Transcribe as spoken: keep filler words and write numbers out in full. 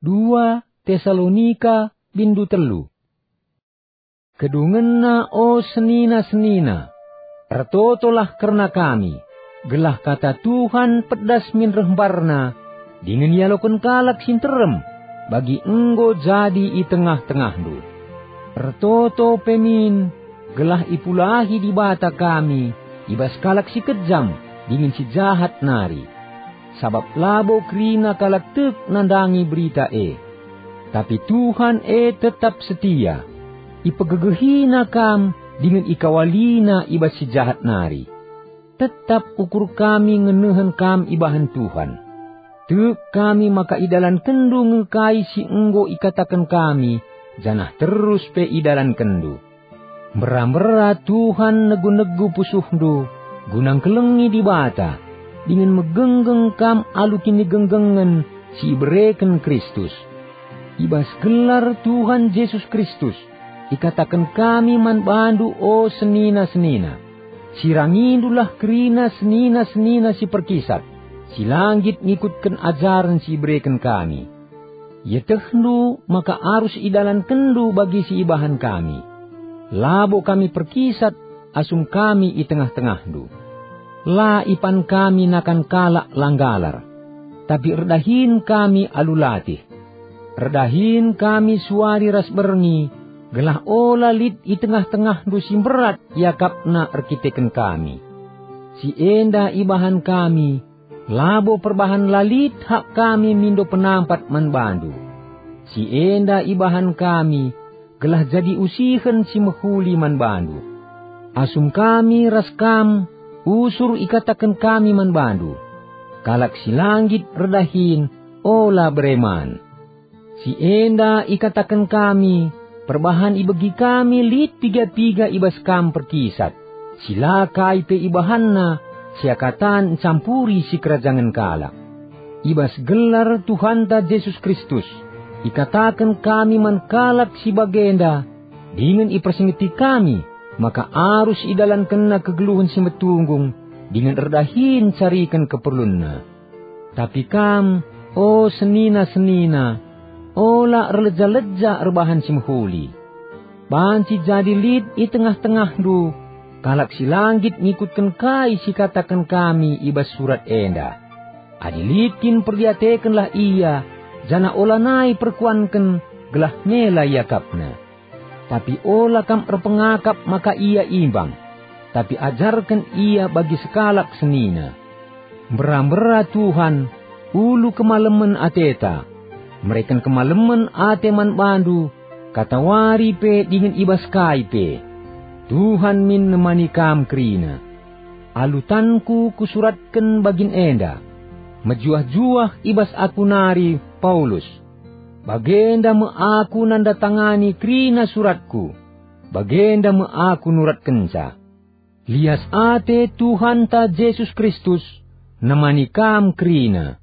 Dua Tesalonika bindu telu. Kedungenna, o senina-senina, ertotolah kerna kami, gelah kata Tuhan pedas min reh mbarna, dingen ialoken kalak si nterem, bagi enggo jadi i tengah-tengahndu. Ertoto pe min, gelah ipulahi Dibata kami i bas kalak si kejam dingen si jahat nari. Sabap labo kerina kalak tek nandangi berita e. Tapi Tuhan e tetap setia. IpegegehiNa kam dingen ikawaliNa i bas si jahat nari. Tetap ukur kami ngenehen kam ibahan Tuhan. Tek kami maka idalankenndu nge kai si enggo ikataken kami, janah terus pe idalankenndu. Mbera-mbera Tuhan negu-negu pusuhndu, guna ngkelengi Dibata, dingen megenggeng kam alu kinigenggengen si ibereken Kristus. I bas gelar Tuhan Jesus Kristus, ikataken kami man bandu, o senina-senina, sirangindulah kerina senina-senina si perkisat, si la nggit ngikutken ajaren si ibereken kami. Ietehndu maka arus idalankenndu bagi si ibahan kami. Labo kami perkisat asum kami i tengah-tengahndu. La ipan kami nakan kalak la nggalar, tapi erdahin kami alu latih. Erdahin kami suari ras berngi, gelah ola lit i tengah-tengahndu si mberat iakapna erkiteken kami. Si enda ibahan kami, labo perbahan la lit hak kami mindo penampat man bandu. Si enda ibahan kami, gelah jadi usihen si mehuli man bandu. Asum kami ras kam usur ikataken kami man bandu, kalak si la nggit erdahin ola bere man. Si enda ikataken kami, perbahan ibegi kami lit piga-piga i bas kam perkisat, si la kai pe ibahanna seakatan ncampuri sikerajangen kalak. I bas gelar Tuhanta Jesus Kristus, ikataken kami man kalak si bagenda, dingen ipersingeti kami maka arus idalankenna kegeluhen si metunggung dingen erdahin cariken keperlunna. Tapi kam, o senina-senina, ola erleja-leja erbahan si mehuli. Banci jadi lit i tengah-tengahndu kalak si la nggit ngikutken kai si kataken kami i bas surat enda. Adi lit kin perdiatekenlah ia, janah olanai perkuanken gelah mela iakapna. Tapi ola kam erpengakap maka ia imbang, tapi ajarken ia bagi sekalak senina. Mbera-mbera Tuhan, ulu kemalemen ateta, mereken kemalemen ate man bandu, katawari pe dingen i bas kai pe. Tuhan min nemani kam kerina. Alu tanku kusuratken bagin enda. Mejuah-juah i bas aku nari, Paulus. Bagenda me aku nandatangani kerina suratku. Bagenda me aku nuratkenca. Lias ate Tuhanta Jesus Kristus nemani kam kerina.